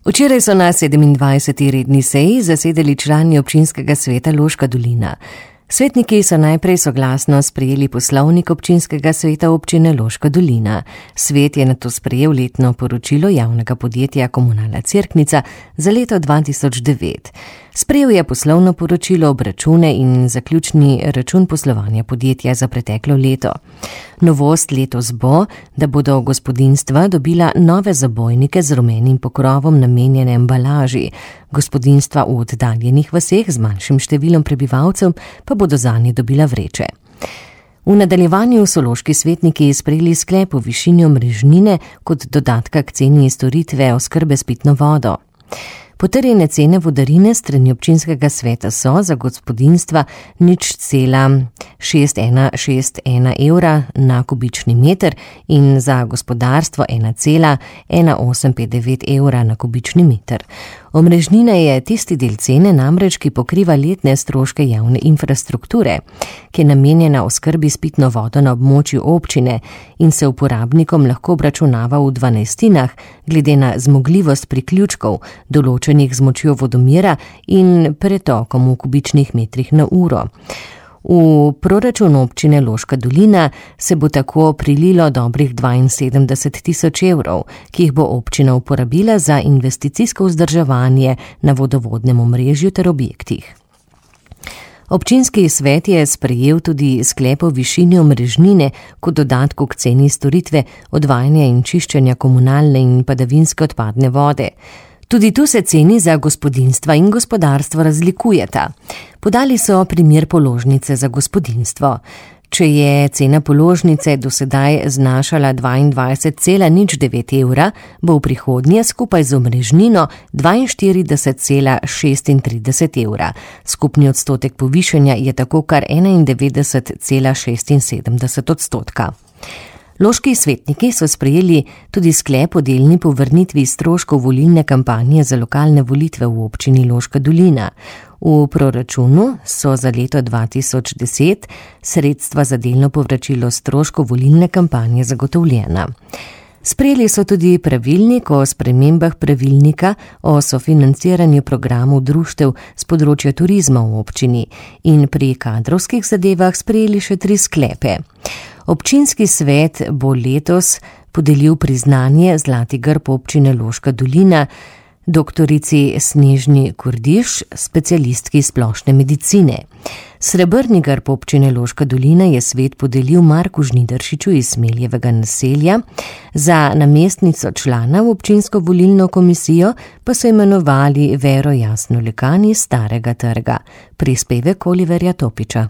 Včeraj so na 27. redni seji zasedali člani občinskega sveta Loška dolina. Svetniki so najprej soglasno sprejeli poslovnik občinskega sveta občine Loška dolina. Svet je nato sprejel letno poročilo javnega podjetja Komunalna Cerknica za leto 2009. Sprejel je poslovno poročilo, obračune in zaključni račun poslovanja podjetja za preteklo leto. Novost letos bo, da bodo gospodinjstva dobila nove zabojnike z rumenim pokrovom namenjene embalaži. Gospodinjstva v oddaljenih vaseh z manjšim številom prebivalcev pa bodo zanje dobila vreče. V nadaljevanju so loški svetniki sprejeli sklep o višini omrežnine kot dodatka k ceni storitve oskrbe s pitno vodo. Potrjene cene vodarine strani občinskega sveta so za gospodinjstva 0,6161 evra na kubični meter in za gospodarstvo 1,1859 evra na kubični meter. Omrežnina je tisti del cene namreč, ki pokriva letne stroške javne infrastrukture, ki je namenjena oskrbi s pitno vodo na območju občine in se uporabnikom lahko obračunava v 12-tinah, glede na zmogljivost priključkov, določenih z močjo vodomera in pretokom v kubičnih metrih na uro. V proračun občine Loška dolina se bo tako prililo dobrih 72 tisoč evrov, ki jih bo občina uporabila za investicijsko vzdrževanje na vodovodnem omrežju ter objektih. Občinski svet je sprejel tudi sklep o višini omrežnine kot dodatku k ceni storitve odvajanja in čiščenja komunalne in padavinske odpadne vode. Tudi tu se ceni za gospodinjstva in gospodarstvo razlikujeta. Podali so primer položnice za gospodinjstvo. Če je cena položnice do sedaj znašala 22,09 evra, bo v prihodnje skupaj z omrežnino 42,36 evra. Skupni odstotek povišanja je tako kar 91,76 odstotka. Loški svetniki so sprejeli tudi sklep o delni povrnitvi stroškov volilne kampanje za lokalne volitve v občini Loška dolina. V proračunu so za leto 2010 sredstva za delno povračilo stroškov volilne kampanje zagotovljena. Sprejeli so tudi pravilnik o spremembah pravilnika o sofinanciranju programov društev z področja turizma v občini in pri kadrovskih zadevah sprejeli še 3 sklepe. Občinski svet bo letos podelil priznanje Zlati grb občine Loška dolina doktorici Snežni Kordiš, specialistki splošne medicine. Srebrni grb občine Loška dolina je svet podelil Marku Žnidaršiču iz Smeljevega naselja, za namestnico člana v občinsko volilno komisijo pa so imenovali Vero Jasno Lekan iz Starega trga. Prispevek Oliverja Topiča.